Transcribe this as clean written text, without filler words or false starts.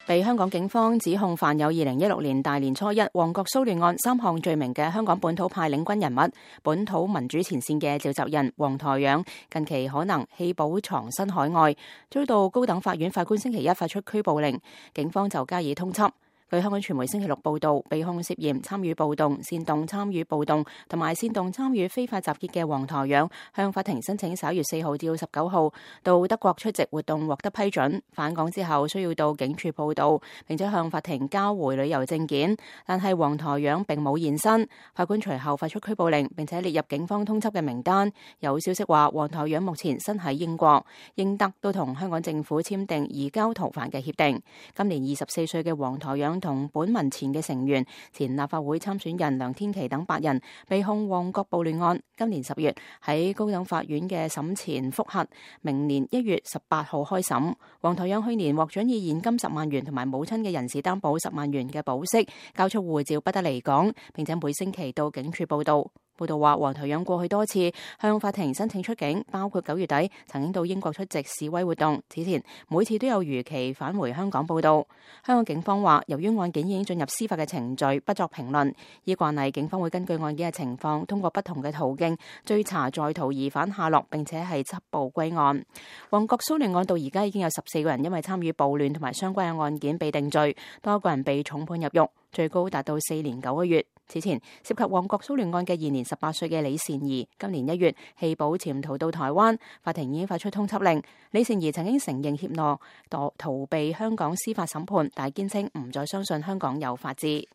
被香港警方指控犯有2016年大年初一旺角騷亂案3項罪名嘅香港本土派領軍人物、本土民主前線嘅召集人黃台仰，近期可能棄保藏身海外，遭到高等法院法官星期一發出拘捕令，警方就加以通緝。據香港傳媒星期六報道，被控涉嫌參與暴動、煽動參與暴動同埋煽動參與非法集結嘅黃台仰，向法庭申請11月4號至19號到德國出席活動獲得批准，返港之後需要到警署報到，並且向法庭交回旅遊證件。但係黃台仰並冇現身，法官隨後發出拘捕令，並且列入警方通緝嘅名單。有消息話，黃台仰目前身喺英國，英德都同香港政府簽訂移交逃犯嘅協定。今年24歲嘅黃台仰同本民前嘅成員、前立法會參選人梁天琦等8人被控旺角暴亂案，今年10月喺高等法院嘅審前覆核，明年1月18號開審。黃台仰去年獲准以現金10萬元同埋母親嘅人事擔保10萬元嘅保釋，交出護照不得離港，並且每星期到警署報到。報道話，黃台仰過去多次向法庭申請出境，包括9月底曾經到英國出席示威活動，此前每次都有如期返回香港報到。香港警方話，由於案件已經進入司法嘅程序，不作評論。依慣例，警方會根據案件嘅情況，通過不同嘅途徑追查在逃疑犯下落，並且係緝捕歸案。旺角騷亂案到而家已經有14個人因為參與暴亂同埋相關嘅案件被定罪，多個人被重判入獄，最高達到4年9個月。此前涉及旺角騷亂案嘅現年18歲嘅李善儀，今年1月棄保潛逃到台灣，法庭已經發出通緝令。李善儀曾經承認怯懦逃避香港司法審判，但係堅稱唔再相信香港有法治。